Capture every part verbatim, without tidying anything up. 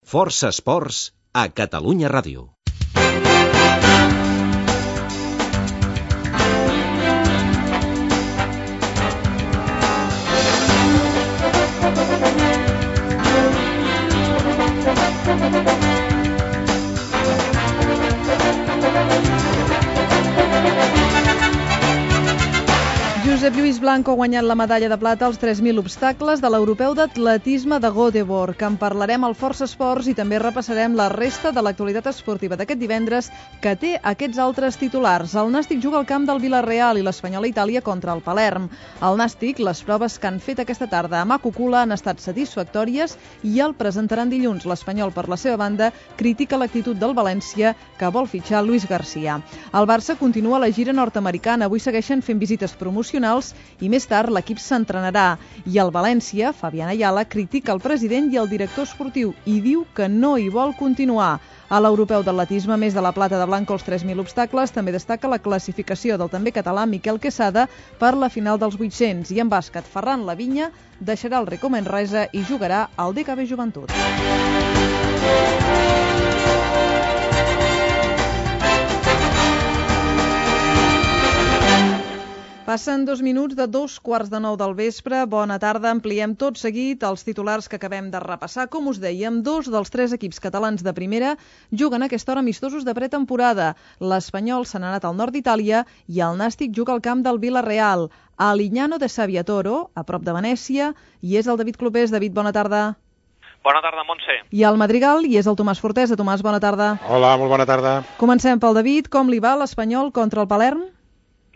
Força Esports a Catalunya Ràdio. Josep Lluís Blanco ha guanyat la medalla de plata als tres mil obstacles de l'Europeu d'Atletisme de Göteborg, que en parlarem al Força Esports i també repassarem la resta de l'actualitat esportiva d'aquest divendres, que té aquests altres titulars. El Nàstic juga al camp del Vila-real i l'Espanyol a Itàlia contra el Palerm. Al Nàstic, les proves que han fet aquesta tarda a Macucula han estat satisfactòries i el presentaran dilluns. L'Espanyol, per la seva banda, critica l'actitud del València, que vol fitxar Luis García. El Barça continua la gira nord-americana. Avui segueixen fent visites promocionals i més tard l'equip s'entrenarà. I el València, Fabián Ayala, critica el president i el director esportiu i diu que no hi vol continuar. A l'Europeu d'Atletisme, a més de la plata de Blanco als tres mil obstacles, també destaca la classificació del també català Miquel Quesada per la final dels vuit-cents. I en bàsquet, Ferran Lavinya deixarà el Ricó Manresa i jugarà al D K B Joventut. Passen dos minuts de dos quarts de nou del vespre. Bona tarda. Ampliem tot seguit els titulars que acabem de repassar. Com us dèiem, dos dels tres equips catalans de primera juguen a aquesta hora amistosos de pretemporada. L'Espanyol se n'ha anat al nord d'Itàlia i el Nàstic juga al camp del Vila-real. A Lignano de Sabbiatoro, a prop de Venècia, i és el David Clopés. David, bona tarda. Bona tarda, Montse. I al Madrigal, i és el Tomàs Fortesa. Tomàs, bona tarda. Hola, molt bona tarda. Comencem pel David. Com li va l'Espanyol contra el Palerm?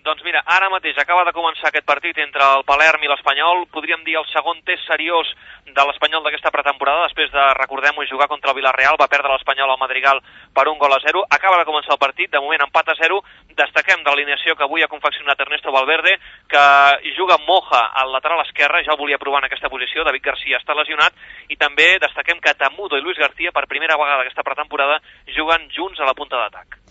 Doncs mira, ara mateix acaba de començar aquest partit entre el Palerm i l'Espanyol, podríem dir el segon test seriós de l'Espanyol d'aquesta pretemporada, després de, recordem-ho, jugar contra el Vila-real, va perdre l'Espanyol al Madrigal per un gol a zero, acaba de començar el partit, de moment empat a zero, destaquem de l'alineació que avui ha confeccionat Ernesto Valverde, que juga Moja al lateral esquerre, ja el volia provar en aquesta posició, David García està lesionat, i també destaquem que Tamudo i Luis García, per primera vegada aquesta pretemporada, juguen junts a la punta d'atac.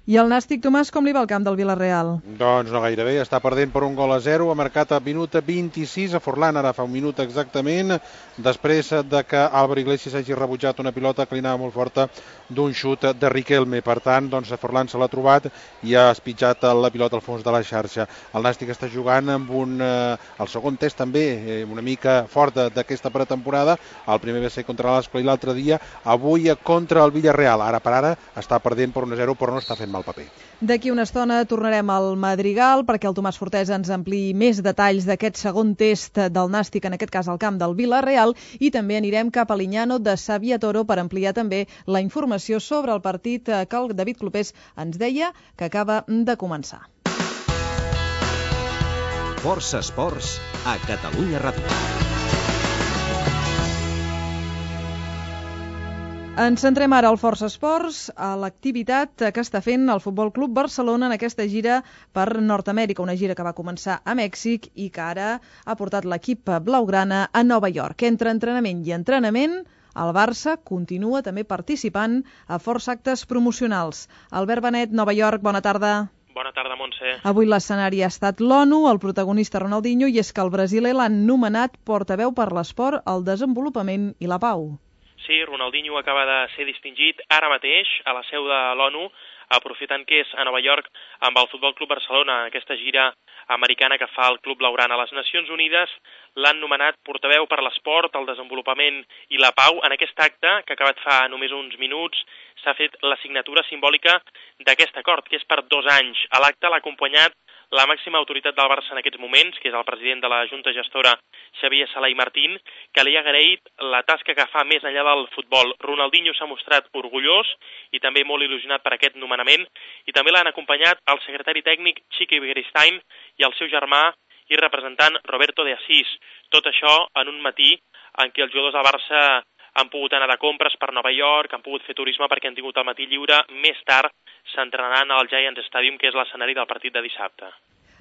I el Nàstic, Tomàs, com li va al camp del Vila-real? Doncs no gaire bé, està perdent per un gol a zero, ha marcat a minut vint-i-sis a Forlán, ara fa un minut exactament, després de que Álvaro Iglesias hagi rebutjat una pilota que li anava molt forta d'un xut de Riquelme. Per tant, doncs Forlán se l'ha trobat i ha espitjat la pilota al fons de la xarxa. El Nàstic està jugant amb un, eh, el segon test també, eh, una mica fort d'aquesta pretemporada. El primer va ser contra l'Ascoli l'altre dia, avui contra el Villarreal. Ara per ara està perdent per un a zero, però no està fent mal paper. D'aquí una estona tornarem al Madrigal perquè el Tomàs Fortesa ens ampliï més detalls d'aquest segon test del Nàstic, en aquest cas al camp del Vila-real, i també anirem cap a Lignano de Sabbiatoro per ampliar també la informació sobre el partit que el David Clopés ens deia que acaba de començar. Força Esports a Catalunya Ràdio. Ens centrem ara al Força Esports, a l'activitat que està fent el Futbol Club Barcelona en aquesta gira per Nord-amèrica, una gira que va començar a Mèxic i que ara ha portat l'equip blaugrana a Nova York. Entre entrenament i entrenament, el Barça continua també participant a força actes promocionals. Albert Benet, Nova York, bona tarda. Bona tarda, Montse. Avui l'escenari ha estat l'ONU, el protagonista Ronaldinho, i és que el brasiler l'han nomenat portaveu per l'esport, el desenvolupament i la pau. Sí, Ronaldinho acaba de ser distingit ara mateix a la seu de l'ONU, aprofitant que és a Nova York amb el Futbol Club Barcelona, aquesta gira americana que fa el Club Blaugrana. A les Nacions Unides l'han nomenat portaveu per l'esport, el desenvolupament i la pau. En aquest acte, que ha acabat fa només uns minuts, s'ha fet la signatura simbòlica d'aquest acord, que és per dos anys. A l'acte l'ha acompanyat la màxima autoritat del Barça en aquests moments, que és el president de la Junta Gestora, Xavier Sala i Martín, que li ha agraït la tasca que fa més enllà del futbol. Ronaldinho s'ha mostrat orgullós i també molt il·lusionat per aquest nomenament, i també l'han acompanyat el secretari tècnic Chiqui Beristain i el seu germà i representant Roberto de Asís. Tot això en un matí en què els jugadors del Barça han pogut anar de compres per Nova York, han pogut fer turisme perquè han tingut el matí lliure. Més tard s'entrenaran al Giants Stadium, que és l'escenari del partit de dissabte.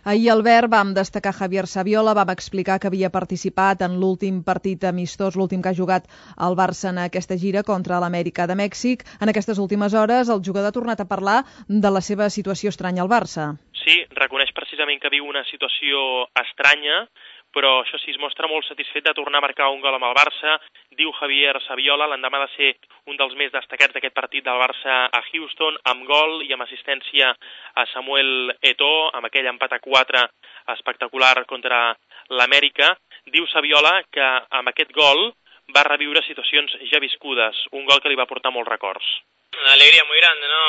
Ahir, Albert, vam destacar Javier Saviola, vam explicar que havia participat en l'últim partit amistós, l'últim que ha jugat el Barça en aquesta gira contra l'Amèrica de Mèxic. En aquestes últimes hores, el jugador ha tornat a parlar de la seva situació estranya al Barça. Sí, reconeix precisament que viu una situació estranya, però això sí, es mostra molt satisfet de tornar a marcar un gol amb el Barça. Diu Javier Saviola, l'endemà de ser un dels més destacats d'aquest partit del Barça a Houston, amb gol i amb assistència a Samuel Eto'o, amb aquell empat a quatre espectacular contra l'Amèrica. Diu Saviola que amb aquest gol va reviure situacions ja viscudes, un gol que li va portar molts records. Una alegría muy grande, ¿no?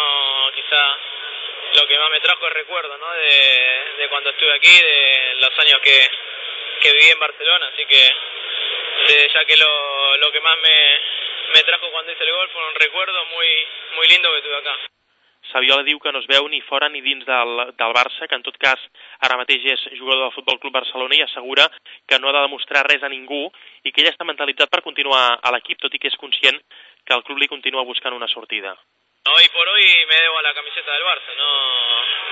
Quizá lo que más me trajo el recuerdo, ¿no? De, de cuando estuve aquí, de los años que, que viví en Barcelona, así que de, ya que lo, lo que más me, me trajo cuando hice el gol fue un recuerdo muy, muy lindo que tuve acá. Saviola diu que no es veu ni fora ni dins del, del Barça, que en tot cas ara mateix és jugador del Futbol Club Barcelona i assegura que no ha de demostrar res a ningú i que ell està mentalitzat per continuar a l'equip, tot i que és conscient que el club li continua buscant una sortida. Hoy por hoy me debo a la camiseta del Barça, no,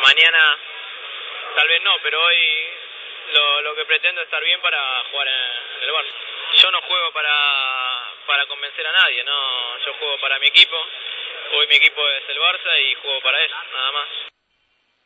mañana tal vez no, pero hoy lo, lo que pretendo es estar bien para jugar en el Barça. Yo no juego para, para convencer a nadie, no, yo juego para mi equipo. Hoy mi equipo es el Barça y juego para él, nada más.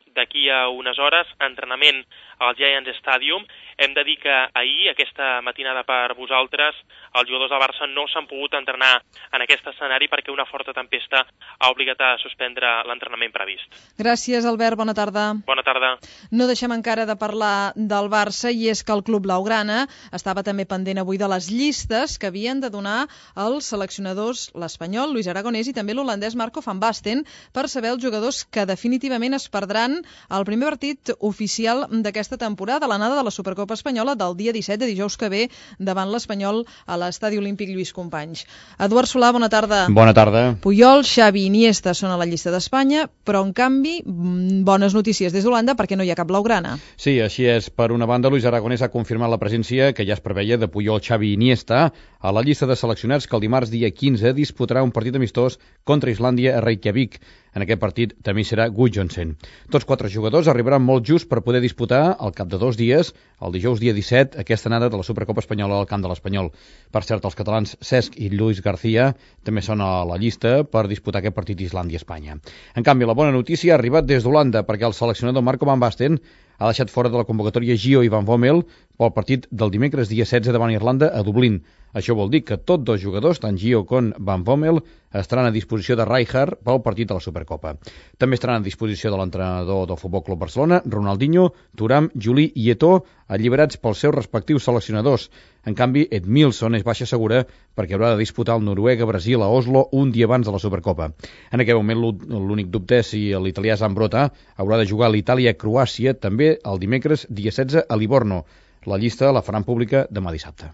D'aquí a unes hores, entrenament al Giants Stadium. Hem de dir que ahir, aquesta matinada per vosaltres, els jugadors del Barça no s'han pogut entrenar en aquest escenari perquè una forta tempesta ha obligat a suspendre l'entrenament previst. Gràcies, Albert. Bona tarda. Bona tarda. No deixem encara de parlar del Barça, i és que el club blaugrana estava també pendent avui de les llistes que havien de donar els seleccionadors, l'espanyol Luis Aragonès i també l'holandès Marco van Basten, per saber els jugadors que definitivament es perdran el primer partit oficial d'aquesta temporada, l'anada de la Supercopa Espanyola del dia disset de dijous que ve davant l'Espanyol a l'Estadi Olímpic Lluís Companys. Eduard Solà, bona tarda. Bona tarda. Puyol, Xavi i Iniesta són a la llista d'Espanya, però en canvi bones notícies des d'Holanda perquè no hi ha cap blaugrana. Sí, així és. Per una banda, Luis Aragonès ha confirmat la presència que ja es preveia de Puyol, Xavi i Iniesta a la llista de seleccionats que el dimarts dia quinze disputarà un partit amistós contra Islàndia a Reykjavik. En aquest partit també serà Gudjohnsen. Tots quatre jugadors arribaran molt just per poder disputar al cap de dos dies, el dijous dia disset, aquesta anada de la Supercopa Espanyola al camp de l'Espanyol. Per cert, els catalans Cesc i Luis García també són a la llista per disputar aquest partit Islàndia-Espanya. En canvi, la bona notícia ha arribat des d'Holanda perquè el seleccionador Marco van Basten ha deixat fora de la convocatòria Gio i Van Bommel pel partit del dimecres dia setze davant Irlanda a Dublín. Això vol dir que tots dos jugadors, tant Gio com Van Bommel, estaran a disposició de Rijkaard pel partit de la Supercopa. També estaran a disposició de l'entrenador del Futbol Club Barcelona, Ronaldinho, Thuram, Juli i Eto'o, alliberats pels seus respectius seleccionadors. En canvi, Edmilson és baixa segura perquè haurà de disputar el Noruega-Brasil a Oslo un dia abans de la Supercopa. En aquest moment l'únic dubte és si l'italià Zambrotta haurà de jugar a l'Itàlia-Croàcia també el dimecres dia setze a Livorno. La llista la faran pública demà dissabte.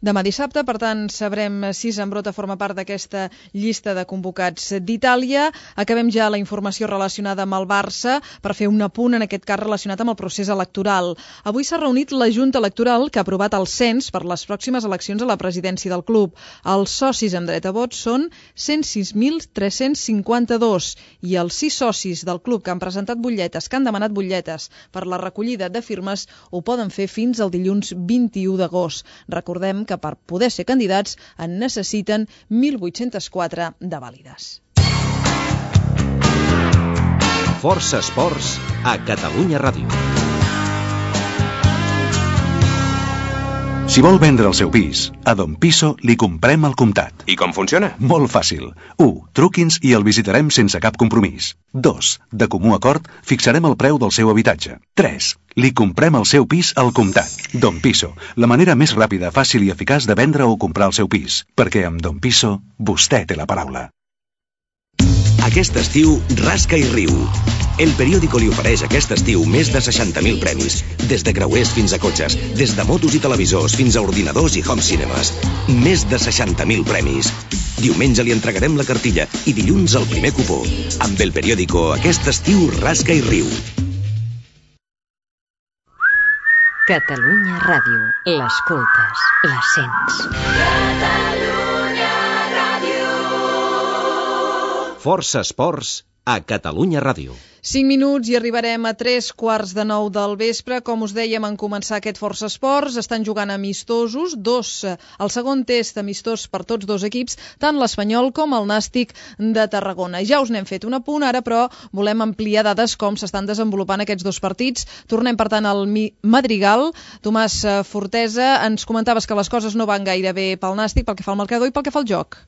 Demà dissabte, per tant, sabrem si Zambrotta forma part d'aquesta llista de convocats d'Itàlia. Acabem ja la informació relacionada amb el Barça per fer un apunt, en aquest cas relacionat amb el procés electoral. Avui s'ha reunit la Junta Electoral que ha aprovat el cens per les pròximes eleccions a la presidència del club. Els socis amb dret a vot són cent sis mil tres-cents cinquanta-dos i els sis socis del club que han presentat butlletes, que han demanat butlletes per la recollida de firmes, ho poden fer fins al dilluns vint-i-u d'agost. Recordem que que per poder ser candidats en necessiten mil vuit-cents quatre de vàlides. Força Esports a Catalunya Ràdio. Si vol vendre el seu pis, a Don Piso li comprem al comptat. I com funciona? Molt fàcil. u. Truqui'ns i el visitarem sense cap compromís. dos. De comú acord, fixarem el preu del seu habitatge. tres. Li comprem el seu pis al comptat. Don Piso, la manera més ràpida, fàcil i eficaç de vendre o comprar el seu pis. Perquè amb Don Piso, vostè té la paraula. Aquest estiu, rasca i riu. El periòdico li ofereix aquest estiu més de seixanta mil premis, des de creuers fins a cotxes, des de motos i televisors fins a ordinadors i home cinemes. Més de seixanta mil premis. Diumenge li entregarem la cartilla i dilluns el primer cupó. Amb el periòdico, aquest estiu, rasca i riu. Catalunya Ràdio. L'escoltes, la sents. Catalunya Ràdio. Força Esports a Catalunya Ràdio. cinc minuts i arribarem a tres quarts de nou del vespre. Com us dèiem en començar aquest Força Esports, estan jugant amistosos, dos, el segon test amistós per tots dos equips, tant l'Espanyol com el Nàstic de Tarragona. Ja us n'hem fet un apunt ara, però volem ampliar dades com s'estan desenvolupant aquests dos partits. Tornem, per tant, al Madrigal. Tomàs Fortesa, ens comentaves que les coses no van gaire bé pel Nàstic, pel que fa al marcador i pel que fa al joc.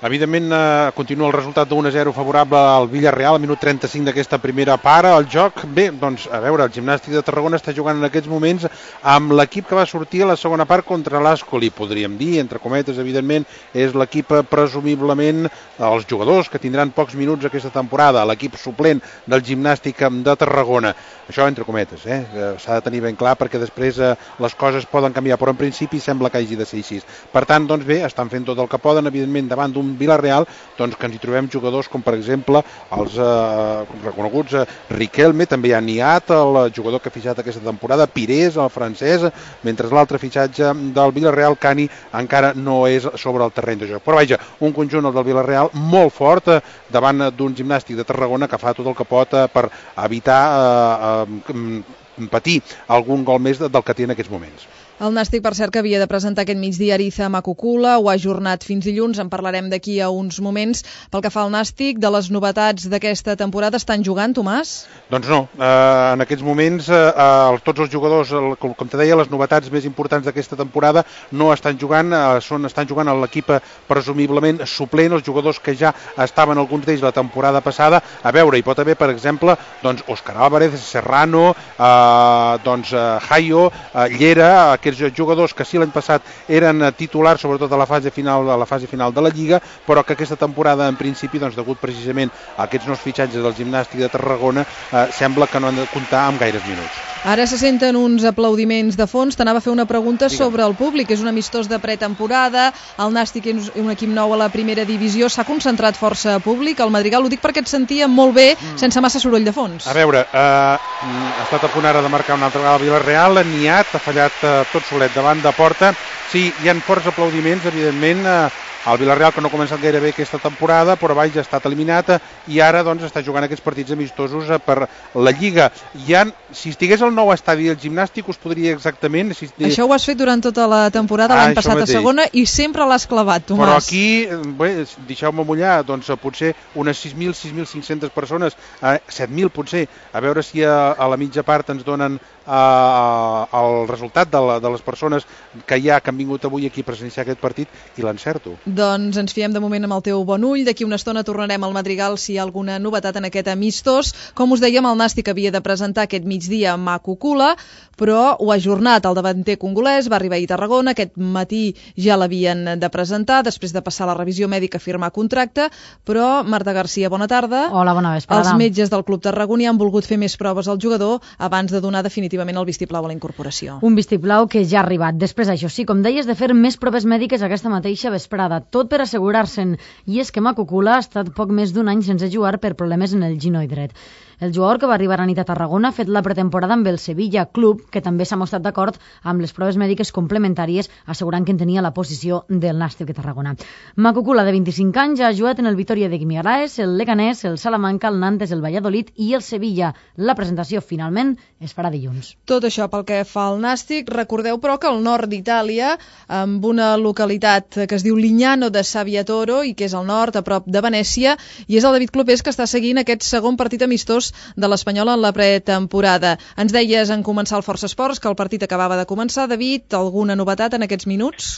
Evidentment, eh, continua el resultat d'un a zero favorable al Villarreal, al minut trenta-cinc d'aquesta primera part. El joc, bé, doncs, a veure, el Gimnàstic de Tarragona està jugant en aquests moments amb l'equip que va sortir a la segona part contra l'Ascoli, podríem dir, entre cometes, evidentment, és l'equip presumiblement, els jugadors que tindran pocs minuts aquesta temporada, l'equip suplent del Gimnàstic de Tarragona. Això entre cometes, eh? S'ha de tenir ben clar perquè després eh, les coses poden canviar, però en principi sembla que hagi de ser així. Per tant, doncs bé, estan fent tot el que poden, evidentment, davant d'un Villarreal, doncs que ens hi trobem jugadors com, per exemple, els eh, reconeguts eh, Riquelme, també hi ha Niat, el jugador que ha fitxat aquesta temporada, Pires, el francès, mentre l'altre fitxatge del Villarreal, Cani, encara no és sobre el terreny de joc. Però vaja, un conjunt, el del Villarreal, molt fort eh, davant d'un Gimnàstic de Tarragona que fa tot el que pot eh, per evitar eh, eh, patir algun gol més del que té en aquests moments. El Nàstic, per cert, que havia de presentar aquest migdia Ariza Makukula, ho ha ajornat fins dilluns, en parlarem d'aquí a uns moments. Pel que fa al Nàstic, de les novetats d'aquesta temporada, estan jugant, Tomàs? Doncs no, eh, en aquests moments eh, tots els jugadors, com, com te deia, les novetats més importants d'aquesta temporada no estan jugant, eh, són, estan jugant a l'equip presumiblement suplent, els jugadors que ja estaven alguns d'ells la temporada passada. A veure, hi pot haver, per exemple, doncs, Òscar Álvarez, Serrano, eh, doncs, eh, Jaio, eh, Llera, aquests jugadors que sí l'any passat eren titulars, sobretot a la fase final, a la fase final de la Lliga, però que aquesta temporada, en principi, doncs, degut precisament a aquests nous fitxatges del Gimnàstic de Tarragona, eh, sembla que no han de comptar amb gaires minuts. Ara se senten uns aplaudiments de fons. T'anava a fer una pregunta Digue'm. sobre el públic. És un amistós de pretemporada, el Nàstic és un equip nou a la primera divisió, s'ha concentrat força públic, el Madrigal, ho dic perquè et sentia molt bé, mm. sense massa soroll de fons. A veure, eh, ha estat a punt ara de marcar una altra vegada el Villarreal, Niat ha fallat eh, tot solet davant de porta. Sí, hi ha forts aplaudiments, evidentment, eh, el Villarreal, que no ha començat gaire bé aquesta temporada, però vaja, ha estat eliminat i ara doncs està jugant aquests partits amistosos per la Lliga. Hi ha, si estigués al nou estadi del Gimnàstic, us podria exactament... Si... Això ho has fet durant tota la temporada, ah, l'any passat mateix. A segona, i sempre l'has clavat, Tomàs. Però aquí, bé, deixeu-me mullar, doncs potser unes sis mil, sis mil cinc-centes persones, eh, set mil potser, a veure si a, a la mitja part ens donen Uh, el resultat de, la, de les persones que hi ha que han vingut avui aquí a presenciar aquest partit i l'encerto. Doncs ens fiem de moment amb el teu bon ull. D'aquí una estona tornarem al Madrigal si hi ha alguna novetat en aquest amistós. Com us dèiem, el Nàstic havia de presentar aquest migdia Makukula, però ho ha ajornat. El davanter congolès va arribar a Tarragona, aquest matí ja l'havien de presentar després de passar la revisió mèdica a firmar contracte, però Marta Garcia, bona tarda. Hola, bona vesprada. Els metges del Club Tarragoní han volgut fer més proves al jugador abans de donar definitivament el vistiplau a la incorporació. Un vistiplau que ja ha arribat. Després, això sí, com deies, de fer més proves mèdiques aquesta mateixa vesprada, tot per assegurar-se'n. I és que Makukula ha estat poc més d'un any sense jugar per problemes en el ginoll dret. El jugador que va arribar a nit a Tarragona ha fet la pretemporada amb el Sevilla Club, que també s'ha mostrat d'acord amb les proves mèdiques complementàries, assegurant que en tenia la posició del Nàstic de Tarragona. Makukula, de vint-i-cinc anys, ha jugat en el Vitoria de Guimaraes, el Leganés, el Salamanca, el Nantes, el Valladolid i el Sevilla. La presentació, finalment, es farà dilluns. Tot això pel que fa al Nàstic. Recordeu, però, que al nord d'Itàlia, amb una localitat que es diu Lignano de Sabbiatoro i que és al nord, a prop de Venècia, i és el David Clopés que està seguint aquest segon partit amistós de l'Espanyol en la pretemporada. Ens deies en començar el Força Esports que el partit acabava de començar. David, alguna novetat en aquests minuts?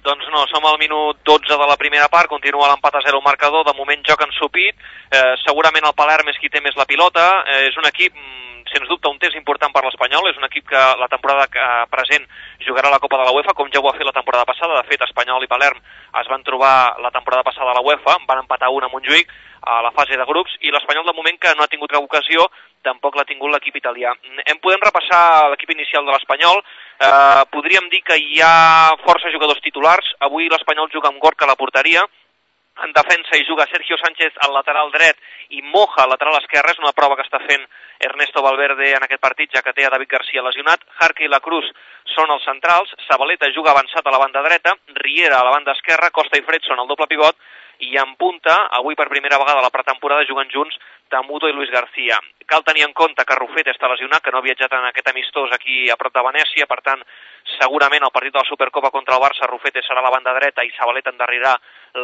Doncs no, som al minut dotze de la primera part, continua l'empat a zero marcador, de moment joc ensupit, eh, segurament el Palerm és qui té més la pilota, eh, és un equip, sens dubte, un test important per l'Espanyol, és un equip que la temporada present jugarà la Copa de la UEFA, com ja ho va fer la temporada passada. De fet, Espanyol i Palerm es van trobar la temporada passada a la UEFA, van empatar un a Montjuïc a la fase de grups, i l'Espanyol, de moment, que no ha tingut cap ocasió, tampoc l'ha tingut l'equip italià. Em podem repassar l'equip inicial de l'Espanyol. Eh, podríem dir que hi ha força jugadors titulars. Avui l'Espanyol juga amb Gorka a la porteria. En defensa hi juga Sergio Sánchez al lateral dret i Moja al lateral esquerre. És una prova que està fent Ernesto Valverde en aquest partit, ja que té a David Garcia lesionat. Jarque i la Cruz són els centrals. Zabaleta juga avançat a la banda dreta. Riera a la banda esquerra. Costa i Fred són el doble pivot. I en punta, avui per primera vegada a la pretemporada, juguen junts Tamudo i Luis García. Cal tenir en compte que Rufete està lesionat, que no ha viatjat en aquest amistós aquí a prop de Venècia, per tant, segurament al partit de la Supercopa contra el Barça, Rufete serà a la banda dreta i Zabaleta endarrerà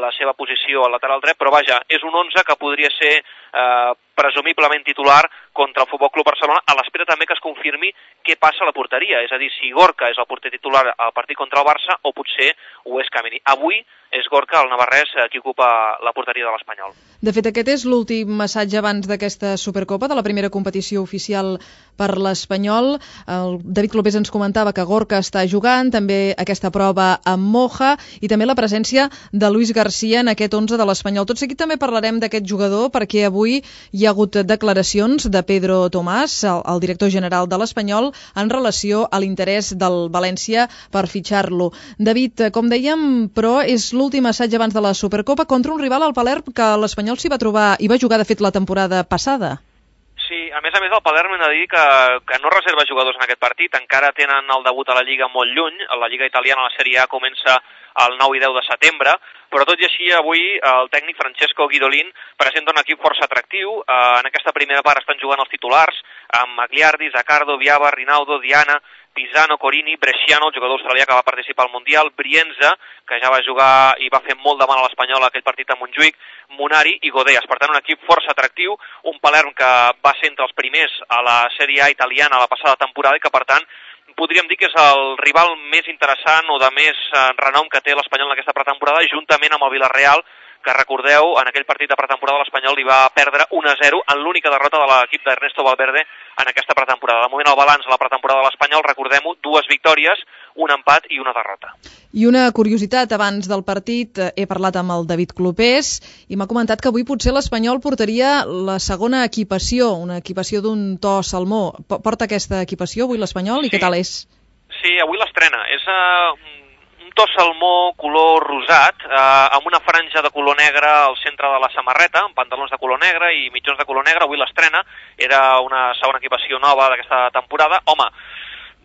la seva posició al lateral dret, però vaja, és un onze que podria ser eh, presumiblement titular contra el Futbol Club Barcelona, a l'espera també que es confirmi què passa a la porteria, és a dir, si Gorka és el porter titular al partit contra el Barça o potser ho és Kameni. Avui és Gorka, el navarrès, qui ocupa la porteria de l'Espanyol. De fet, aquest és l'últim massatge abans d'aquesta Supercopa, de la primera competició oficial per l'Espanyol. El David Clopés ens comentava que Gorka està jugant, també aquesta prova amb Moja i també la presència de Luis García en aquest onze de l'Espanyol. Tot seguit també parlarem d'aquest jugador perquè avui hi ha hagut declaracions de Pedro Tomàs, el, el director general de l'Espanyol, en relació a l'interès del València per fitxar-lo. David, com dèiem, però és l'últim assaig abans de la Supercopa contra un rival, al Palerm, que l'Espanyol s'hi va trobar i va jugar, de fet, la temporada passada. Sí, a més a més el Palerm hem de dir que, que no reserva jugadors en aquest partit, encara tenen el debut a la Lliga molt lluny, la Lliga italiana, la Sèrie A, comença el nou i deu de setembre, però tot i així avui el tècnic Francesco Guidolin presenta un equip força atractiu. En aquesta primera part estan jugant els titulars amb Magliardi, Zaccardo, Viava, Rinaldo, Diana, Pisano, Corini, Bresciano, el jugador australià que va participar al Mundial, Brienza, que ja va jugar i va fer molt de mal a l'Espanyol aquell partit a Montjuïc, Munari i Godeas. Per tant, un equip força atractiu, un Palerm que va ser entre els primers a la Sèrie A italiana la passada temporada i que, per tant, podríem dir que és el rival més interessant o de més eh, renom que té l'Espanyol en aquesta pretemporada, juntament amb el Villarreal, que recordeu, en aquell partit de pretemporada l'Espanyol li va perdre un a zero en l'única derrota de l'equip d'Ernesto Valverde en aquesta pretemporada. De moment el balanç de la pretemporada de l'Espanyol, recordem-ho, dues victòries, un empat i una derrota. I una curiositat, abans del partit he parlat amb el David Clopés i m'ha comentat que avui potser l'Espanyol portaria la segona equipació, una equipació d'un to salmó. Porta aquesta equipació avui l'Espanyol i sí. Què tal és? Sí, avui l'estrena. És uh, un to salmó color rosat, eh, amb una franja de color negre al centre de la samarreta, amb pantalons de color negre i mitjons de color negre. Avui l'estrena, era una segona equipació nova d'aquesta temporada. Home,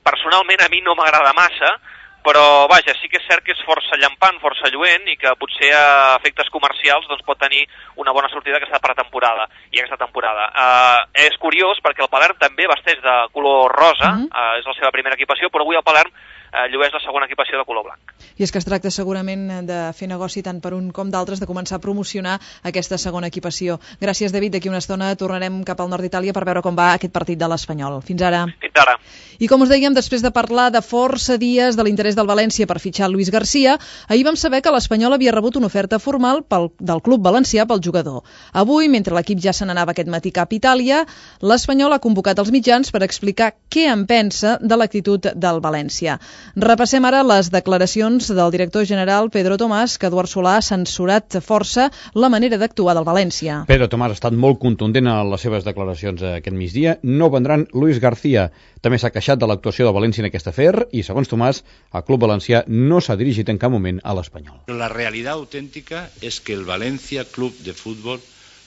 personalment a mi no m'agrada massa, però vaja, sí que és cert que és força llampant, força lluent i que potser a efectes comercials doncs, pot tenir una bona sortida aquesta pretemporada i aquesta temporada. Eh, és curiós perquè el Palerm també vesteix de color rosa, uh-huh. eh, és la seva primera equipació, però avui el Palerm eh, llueix la segona equipació de color blanc. I és que es tracta segurament de fer negoci tant per un com d'altres, de començar a promocionar aquesta segona equipació. Gràcies, David. D'aquí una estona tornarem cap al nord d'Itàlia per veure com va aquest partit de l'Espanyol. Fins ara. Fins ara. I com us dèiem, després de parlar de força dies de l'interès del València per fitxar Luis García, ahir vam saber que l'Espanyol havia rebut una oferta formal pel, del club valencià pel jugador. Avui, mentre l'equip ja se n'anava aquest matí cap a Itàlia, l'Espanyol ha convocat els mitjans per explicar què en pensa de l'actitud del València. Repassem ara les declaracions del director general Pedro Tomàs, que Eduard Solà ha censurat força la manera d'actuar del València. Pedro Tomàs ha estat molt contundent en les seves declaracions aquest migdia. No vendran Luis García. També s'ha queixat de l'actuació del València en aquest afer i, segons Tomàs, el club valencià no s'ha dirigit en cap moment a l'Espanyol. La realitat autèntica és que el Valencia Club de Fútbol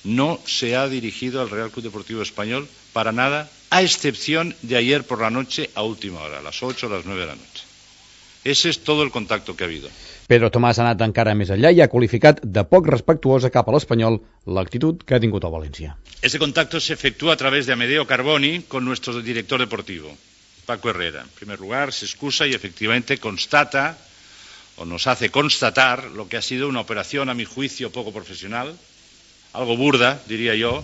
no se ha dirigido al Real Club Deportivo Español para nada, a excepción de ayer por la noche a última hora, a las ocho o las nueve de la noche. Ese es todo el contacto que ha habido. Pedro Tomàs ha anat encara més enllà i ha qualificat de poc respectuosa cap a l'Espanyol l'actitud que ha tingut el València. Ese contacto se efectúa a través de Amedeo Carboni con nuestro director deportivo, Paco Herrera. En primer lugar, se excusa y efectivamente constata, o nos hace constatar, lo que ha sido una operación, a mi juicio, poco profesional, algo burda, diría yo,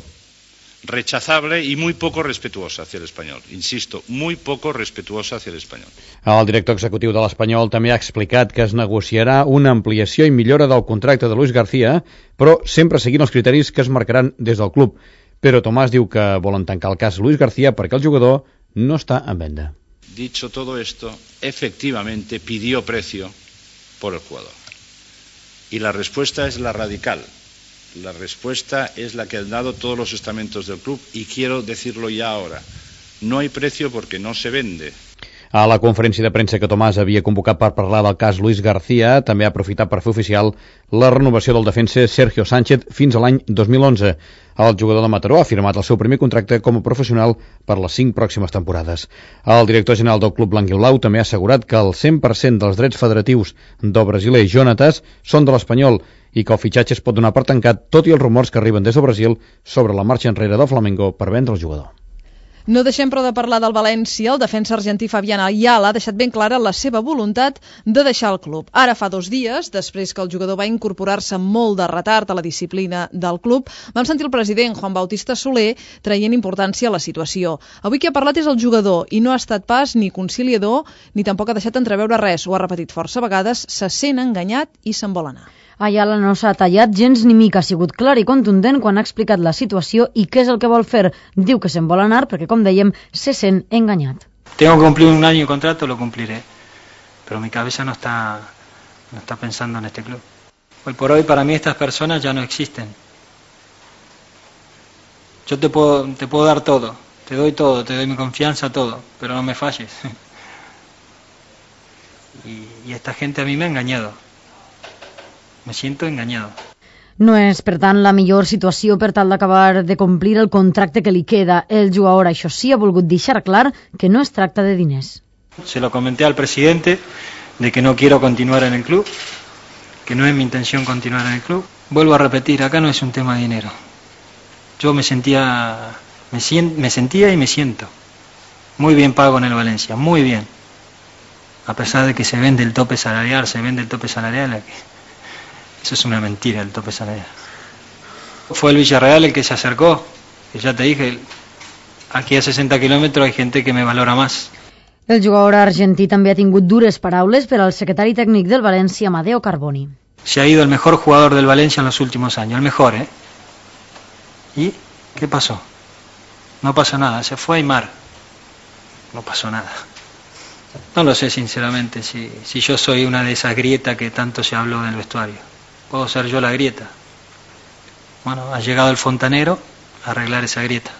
rechazable y muy poco respetuosa hacia el Espanyol. Insisto, muy poco respetuosa hacia el Espanyol. El director executiu de l'Espanyol també ha explicat que es negociarà una ampliació i millora del contracte de Luis García, però sempre seguint els criteris que es marcaran des del club. Però Tomàs diu que volen tancar el cas Luis García perquè el jugador no està en venda. Dicho todo esto, efectivamente pidió precio por el jugador. Y la respuesta es la radical. La respuesta es la que han dado todos los estamentos del club y quiero decirlo ya ahora. No hay precio porque no se vende. A la conferència de premsa que Tomàs havia convocat per parlar del cas Luis García, també ha aprofitat per fer oficial la renovació del defensa Sergio Sánchez fins a l'any dos mil onze. El jugador de Mataró ha firmat el seu primer contracte com a professional per les cinc pròximes temporades. El director general del club blanc i blau també ha assegurat que el cent per cent dels drets federatius del brasiler Jonatas són de l'Espanyol i que el fitxatge es pot donar per tancat, tot i els rumors que arriben des del Brasil sobre la marxa enrere del Flamengo per vendre el jugador. No deixem però de parlar del València. El defensa argentí Fabián Ayala ha deixat ben clara la seva voluntat de deixar el club. Ara fa dos dies, després que el jugador va incorporar-se molt de retard a la disciplina del club, vam sentir el president Juan Bautista Soler traient importància a la situació. Avui qui ha parlat és el jugador i no ha estat pas ni conciliador ni tampoc ha deixat entreveure res. Ho ha repetit força vegades, se sent enganyat i se'n vol anar. Ayala no s'ha tallat gens ni mica, ha sigut clar i contundent quan ha explicat la situació i què és el que vol fer. Diu que se'n vol anar perquè, com dèiem, se sent enganyat. Tengo que cumplir un año de contrato, lo cumpliré. Pero mi cabeza no está, no está pensando en este club. Hoy por hoy, para mí, estas personas ya no existen. Yo te puedo, te puedo dar todo, te doy todo, te doy mi confianza, todo, pero no me falles. y, y esta gente a mí me ha engañado. Me siento engañado. No és, per tant, la millor situació per tal d'acabar de complir el contracte que li queda. El jugador, això sí, ha volgut deixar clar que no es tracta de diners. Se lo comenté al presidente de que no quiero continuar en el club, que no es mi intención continuar en el club. Vuelvo a repetir, acá no es un tema de dinero. Yo me sentía, me, sient, me sentía y me siento muy bien pago en el Valencia, muy bien. A pesar de que se vende el tope salarial, se vende el tope salarial aquí. Eso es una mentira, el tope salarial. Fue el Villarreal el que se acercó, que ya te dije, aquí a sesenta kilómetros hay gente que me valora más. El jugador argentí també ha tingut dures paraules per al secretari tècnic del València, Amadeo Carboni. Se ha ido el mejor jugador del Valencia en los últimos años, el mejor, ¿eh? ¿Y qué pasó? No pasó nada, se fue a Aimar. No pasó nada. No lo sé sinceramente si, si yo soy una de esas grietas que tanto se habló del vestuario. Puedo ser yo la grieta. Bueno, ha llegado el fontanero a arreglar esa grieta.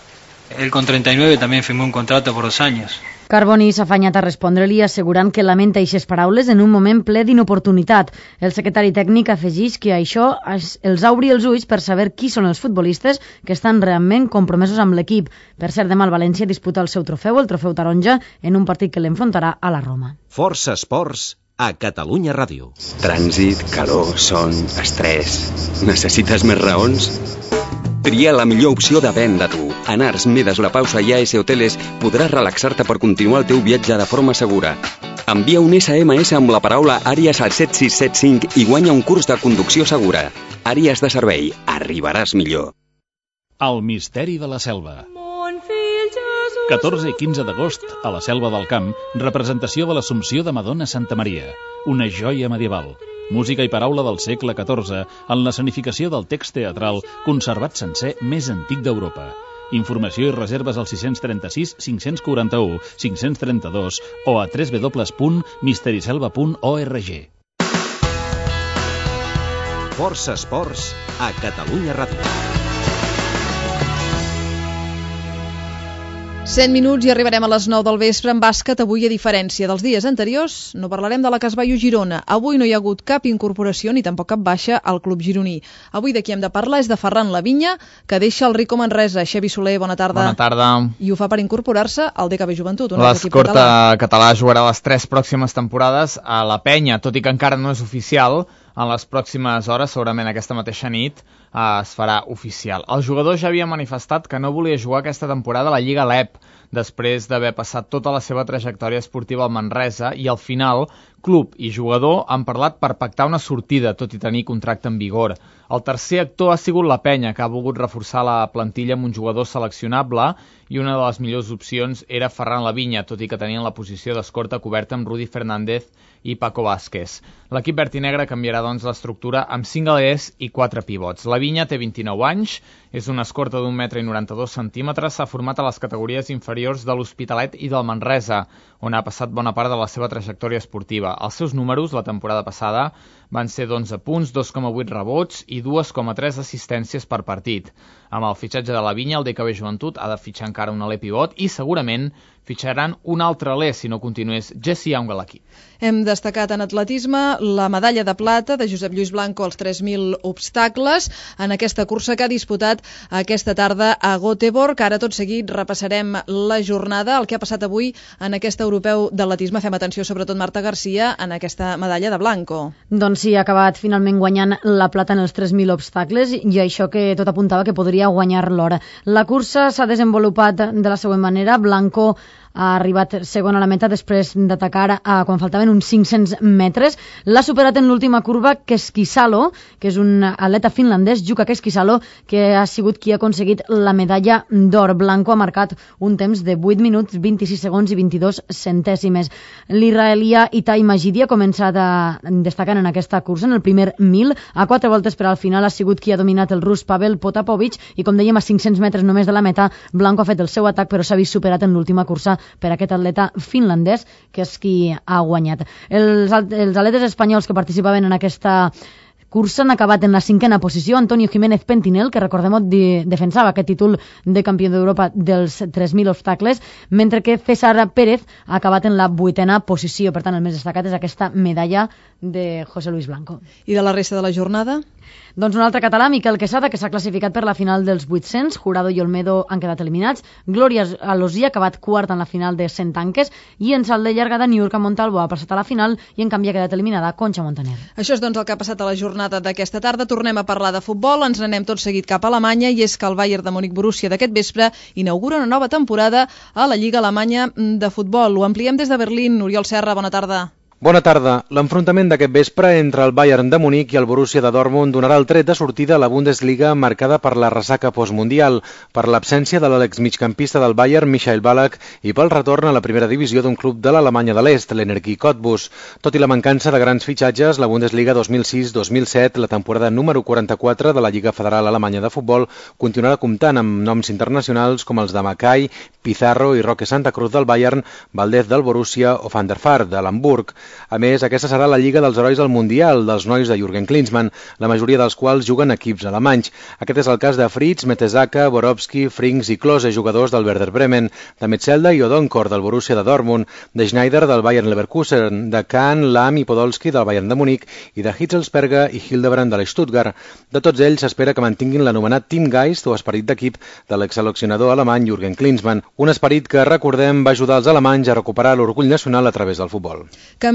Él con treinta y nueve también firmó un contrato por dos años. Carboni s'ha afanyat a respondre-li assegurant que lamenta eixes paraules en un moment ple d'inoportunitat. El secretari tècnic afegeix que això els obri els ulls per saber qui són els futbolistes que estan realment compromesos amb l'equip. Per cert, demà el València disputa el seu trofeu, el trofeu taronja, en un partit que l'enfrontarà a la Roma. Força Esports a Catalunya Ràdio. Trànsit, calor, son, estrès... Necessites més raons? Tria la millor opció de venda tu. En Ars Medes La Pausa i A S Hoteles podràs relaxar-te per continuar el teu viatge de forma segura. Envia un essa ema essa amb la paraula Àries al set sis set cinc i guanya un curs de conducció segura. Àries de servei. Arribaràs millor. El misteri de la selva. catorze i quinze d'agost, a la Selva del Camp, representació de l'Assumpció de Madonna Santa Maria, una joia medieval. Música i paraula del segle catorze en l'escenificació del text teatral conservat sencer més antic d'Europa. Informació i reserves al sis trenta-sis cinc quaranta-u cinc trenta-dos o a w w w punt misteriselva punt org. Força Esports a Catalunya Ràdio. cent minuts i arribarem a les nou del vespre en bàsquet. Avui, a diferència dels dies anteriors, no parlarem de la Casballo Girona. Avui no hi ha hagut cap incorporació ni tampoc cap baixa al club gironí. Avui de qui hem de parlar és de Ferran Lavinya, que deixa el Rico Manresa. Xavi Soler, bona tarda. Bona tarda. I ho fa per incorporar-se al D K B Joventut. L'escorta català. català jugarà les tres pròximes temporades a la Penya, tot i que encara no és oficial. En les pròximes hores, segurament aquesta mateixa nit, eh, es farà oficial. El jugador ja havia manifestat que no volia jugar aquesta temporada a la Lliga L E P, després d'haver passat tota la seva trajectòria esportiva al Manresa, i al final club i jugador han parlat per pactar una sortida, tot i tenir contracte en vigor. El tercer actor ha sigut la Penya, que ha volgut reforçar la plantilla amb un jugador seleccionable, i una de les millors opcions era Ferran Lavinya, tot i que tenien la posició d'escorta coberta amb Rudi Fernández i Paco Vázquez. L'equip verd i negre canviarà doncs l'estructura amb cinc galers i quatre pivots. Lavinya té vint-i-nou anys, és una escorta d'un metre i noranta-dos centímetres, s'ha format a les categories inferiors de l'Hospitalet i del Manresa, on ha passat bona part de la seva trajectòria esportiva. Els seus números la temporada passada van ser d'onze punts, dos coma vuit rebots i dos coma tres assistències per partit. Amb el fitxatge de la Vinya, el D K B Joventut ha de fitxar encara un aler pivot i segurament fitxaran un altre aler si no continués Jesse Young a l'equip. Hem destacat en atletisme la medalla de plata de Josep Lluís Blanco als tres mil obstacles en aquesta cursa que ha disputat aquesta tarda a Göteborg. Ara tot seguit repassarem la jornada, el que ha passat avui en aquest europeu d'atletisme. Fem atenció sobretot Marta Garcia en aquesta medalla de Blanco. Doncs sí, ha acabat finalment guanyant la plata en els tres mil obstacles i això que tot apuntava que podria guanyar l'or. La cursa s'ha desenvolupat de la següent manera. Blanco ha arribat segon a la meta després d'atacar a, quan faltaven uns cinc-cents metres. L'ha superat en l'última curva Keskisalo, que és un atleta finlandès, Jukka Keskisalo, que ha sigut qui ha aconseguit la medalla d'or. Blanco ha marcat un temps de vuit minuts, vint-i-sis segons i vint-i-dos centèsimes. L'israelià Itai Majidi ha començat a destacar en aquesta cursa, en el primer mil, a quatre voltes, però al final ha sigut qui ha dominat el rus Pavel Potapovic i, com dèiem, a cinc-cents metres només de la meta, Blanco ha fet el seu atac, però s'ha vist superat en l'última cursa per aquest atleta finlandès, que és qui ha guanyat. Els, els atletes espanyols que participaven en aquesta cursa han acabat en la cinquena posició. Antonio Jiménez Pentinel, que recordem-ho, de, defensava aquest títol de campió d'Europa dels tres mil obstacles, mentre que César Pérez ha acabat en la vuitena posició. Per tant, el més destacat és aquesta medalla de José Luis Blanco. I de la resta de la jornada? Doncs un altre català, Miquel Quesada, que s'ha classificat per la final dels vuit-cents. Jurado i Olmedo han quedat eliminats. Glòria Alosí ha acabat quart en la final de cent tanques i en salt de llargada Niurka Montalvo ha passat a la final i en canvi ha quedat eliminada Concha Montaner. Això és doncs el que ha passat a la jornada d'aquesta tarda. Tornem a parlar de futbol, ens n'anem tot seguit cap a Alemanya i és que el Bayern de Múnich Borussia d'aquest vespre inaugura una nova temporada a la Lliga Alemanya de Futbol. Ho ampliem des de Berlín. Oriol Serra, bona tarda. Bona tarda. L'enfrontament d'aquest vespre entre el Bayern de Munic i el Borussia de Dortmund donarà el tret de sortida a la Bundesliga marcada per la ressaca postmundial, per l'absència de l'exmigcampista del Bayern, Michael Ballack, i pel retorn a la primera divisió d'un club de l'Alemanya de l'Est, l'Energie Cottbus. Tot i la mancança de grans fitxatges, la Bundesliga dos mil sis dos mil set, la temporada número quaranta-quatre de la Lliga Federal Alemanya de Futbol, continuarà comptant amb noms internacionals com els de Mackay, Pizarro i Roque Santa Cruz del Bayern, Valdez del Borussia o Van der Vaart de l'Hamburg. A més, aquesta serà la Lliga dels Herois del Mundial, dels nois de Jürgen Klinsmann, la majoria dels quals juguen equips alemanys. Aquest és el cas de Fritz, Mertesacker, Borowski, Frings i Klose, jugadors del Werder Bremen, de Metzelda i Odonkor del Borussia de Dortmund, de Schneider del Bayern Leverkusen, de Kahn, Lahm i Podolski del Bayern de Munic i de Hitzelsperger i Hildebrand de l'Stuttgart. De tots ells s'espera que mantinguin l'anomenat Teamgeist o esperit d'equip de l'exseleccionador alemany Jürgen Klinsmann, un esperit que, recordem, va ajudar els alemanys a recuperar l'orgull nacional a través del futbol.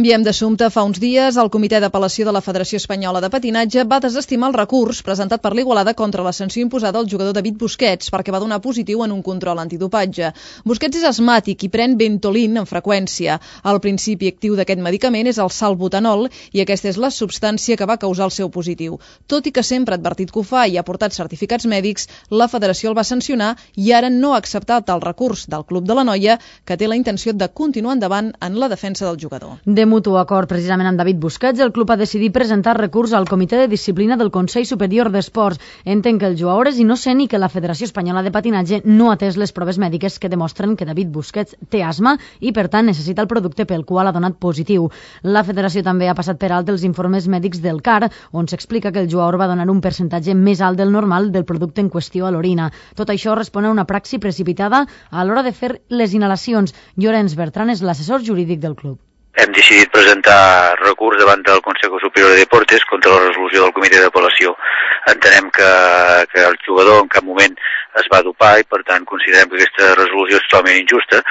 Canviem d'assumpte. Fa uns dies, el Comitè d'Apel·lació de la Federació Espanyola de Patinatge va desestimar el recurs presentat per l'Igualada contra la sanció imposada al jugador David Busquets perquè va donar positiu en un control antidopatge. Busquets és asmàtic i pren Ventolin en freqüència. El principi actiu d'aquest medicament és el salbutamol i aquesta és la substància que va causar el seu positiu. Tot i que sempre ha advertit que ho fa i ha portat certificats mèdics, la Federació el va sancionar i ara no ha acceptat el recurs del Club de la Noia, que té la intenció de continuar endavant en la defensa del jugador. De mutu acord precisament amb David Busquets, el club ha decidit presentar recurs al Comitè de Disciplina del Consell Superior d'Esports. Entenc que el jugador és innocent i que la Federació Espanyola de Patinatge no ha atès les proves mèdiques que demostren que David Busquets té asma i, per tant, necessita el producte pel qual ha donat positiu. La Federació també ha passat per alt els informes mèdics del C A R, on s'explica que el jugador va donar un percentatge més alt del normal del producte en qüestió a l'orina. Tot això respon a una praxi precipitada a l'hora de fer les inhalacions. Llorenç Bertran és l'assessor jurídic del club. Hem decidit presentar recurs davant del Consejo Superior de Deportes contra la resolució del Comitè d'Apel·lació. Entenem que, que el jugador en cap moment es va dopar i, per tant, considerem que aquesta resolució és totalment injusta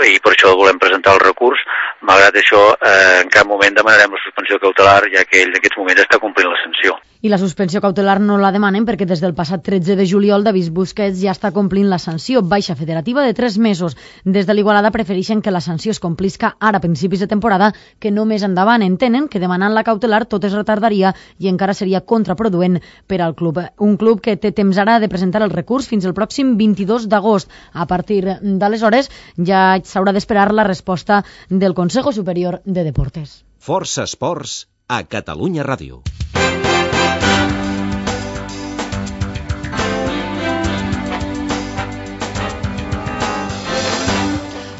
i per això volem presentar el recurs. Malgrat això, eh, en cap moment demanarem la suspensió cautelar, ja que ell en aquests moments està complint la sanció. I la suspensió cautelar no la demanen perquè des del passat tretze de juliol David Busquets ja està complint la sanció, baixa federativa de tres mesos. Des de l'Igualada prefereixen que la sanció es complisca ara a principis de temporada que no més endavant. Entenen que demanant la cautelar tot es retardaria i encara seria contraproduent per al club. Un club que té temps ara de presentar el recurs fins al pròxim vint-i-dos d'agost. A partir d'aleshores ja s'haurà d'esperar la resposta del Consejo Superior de Deportes. Força Esports a Catalunya Ràdio.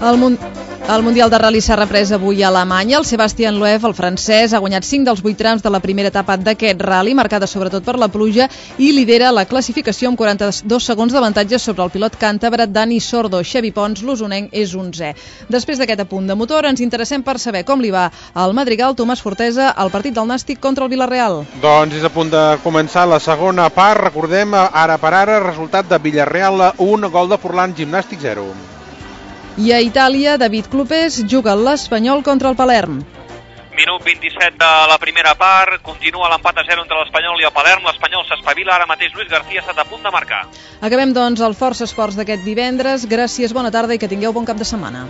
El, mun El Mundial de Rally s'ha reprès avui a Alemanya. El Sebastian Loeb, el francès, ha guanyat cinc dels vuit trams de la primera etapa d'aquest rally, marcada sobretot per la pluja, i lidera la classificació amb quaranta-dos segons d'avantatge sobre el pilot càntabre Dani Sordo. Xavi Pons, l'usonenc, és onzè. Després d'aquest apunt de motor, ens interessem per saber com li va al Madrigal Tomàs Fortesa al partit del Nàstic contra el Villarreal. Doncs és a punt de començar la segona part. Recordem, ara per ara, resultat de Villarreal un, gol de Forlán, Gimnàstic zero. I a Itàlia, David Clopés juga l'Espanyol contra el Palerm. Minut vint-i-set de la primera part, continua l'empat a zero entre l'Espanyol i el Palerm. L'Espanyol s'espavila, ara mateix Luis García ha estat a punt de marcar. Acabem, doncs, el Força Esports d'aquest divendres. Gràcies, bona tarda i que tingueu bon cap de setmana.